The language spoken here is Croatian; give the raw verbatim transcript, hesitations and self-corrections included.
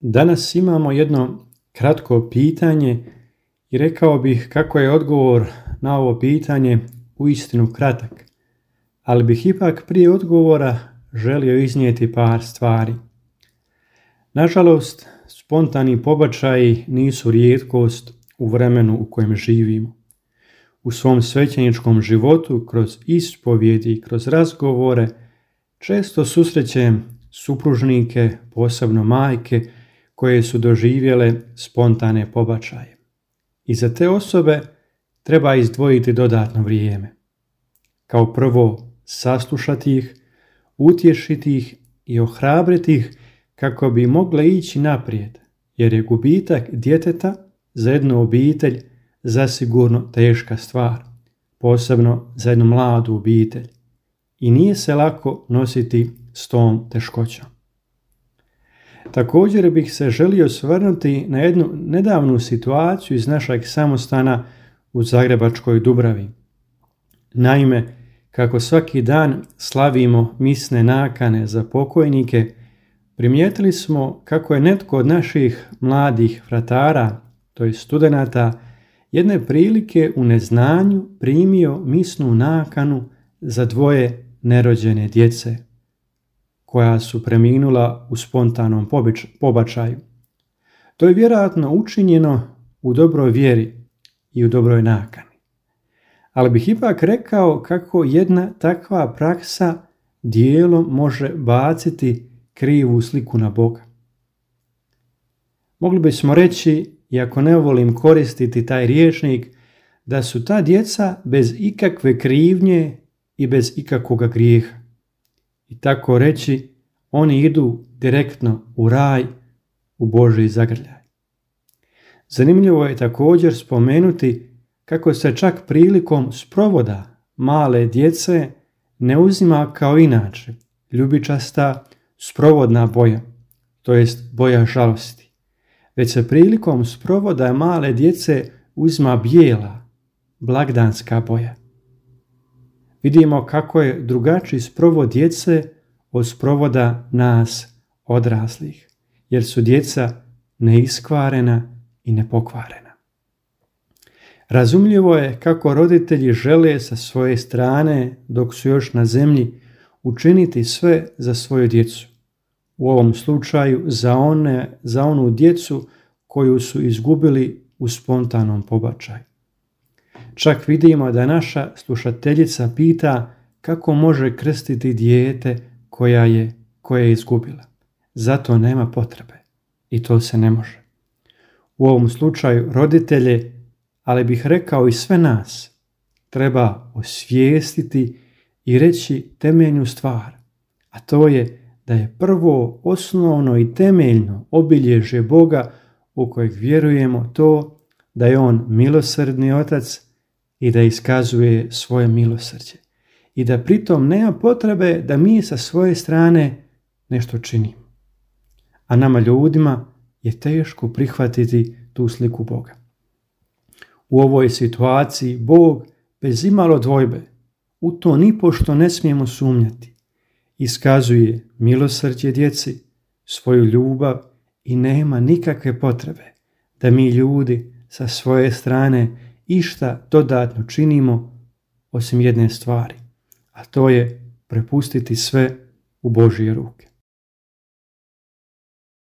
Danas imamo jedno kratko pitanje i rekao bih kako je odgovor na ovo pitanje uistinu kratak, ali bih ipak prije odgovora želio iznijeti par stvari. Nažalost, spontani pobačaji nisu rijetkost u vremenu u kojem živimo. U svom svećeničkom životu, kroz ispovjedi i kroz razgovore, često susrećem supružnike, posebno majke, koje su doživjele spontane pobačaje. I za te osobe treba izdvojiti dodatno vrijeme. Kao prvo, saslušati ih, utješiti ih i ohrabriti ih kako bi mogle ići naprijed, jer je gubitak djeteta za jednu obitelj zasigurno teška stvar, posebno za jednu mladu obitelj. I nije se lako nositi s tom teškoćom. Također bih se želio osvrnuti na jednu nedavnu situaciju iz našeg samostana u Zagrebačkoj Dubravi. Naime, kako svaki dan slavimo misne nakane za pokojnike, primijetili smo kako je netko od naših mladih fratara, to je studenata, jedne prilike u neznanju primio misnu nakanu za dvoje nerođene djece, koja su preminula u spontanom pobačaju. To je vjerojatno učinjeno u dobroj vjeri i u dobroj nakani. Ali bih ipak rekao kako jedna takva praksa dijelom može baciti krivu sliku na Boga. Mogli bismo reći, iako ne volim koristiti taj rječnik, da su ta djeca bez ikakve krivnje i bez ikakvoga grijeha. I tako reći, oni idu direktno u raj, u Božji zagrljaj. Zanimljivo je također spomenuti kako se čak prilikom sprovoda male djece ne uzima kao inače ljubičasta sprovodna boja, to jest boja žalosti, već se prilikom sprovoda male djece uzima bijela, blagdanska boja. Vidimo kako je drugačiji sprovod djece od sprovoda nas odraslih, jer su djeca neiskvarena i nepokvarena. Razumljivo je kako roditelji žele sa svoje strane, dok su još na zemlji, učiniti sve za svoju djecu. U ovom slučaju za, one, za onu djecu koju su izgubili u spontanom pobačaju. Čak vidimo da naša slušateljica pita kako može krstiti dijete koja je, koja je izgubila. Zato nema potrebe i to se ne može. U ovom slučaju roditelje, ali bih rekao i sve nas, treba osvijestiti i reći temeljnu stvar, a to je da je prvo osnovno i temeljno obilježje Boga u kojeg vjerujemo to da je On milosrdni Otac i da iskazuje svoje milosrđe. I da pritom nema potrebe da mi sa svoje strane nešto činimo. A nama ljudima je teško prihvatiti tu sliku Boga. U ovoj situaciji Bog bez imalo dvojbe, u to nipošto ne smijemo sumnjati, iskazuje milosrđe djeci, svoju ljubav i nema nikakve potrebe da mi ljudi sa svoje strane išta dodatno činimo osim jedne stvari, a to je prepustiti sve u Božje ruke.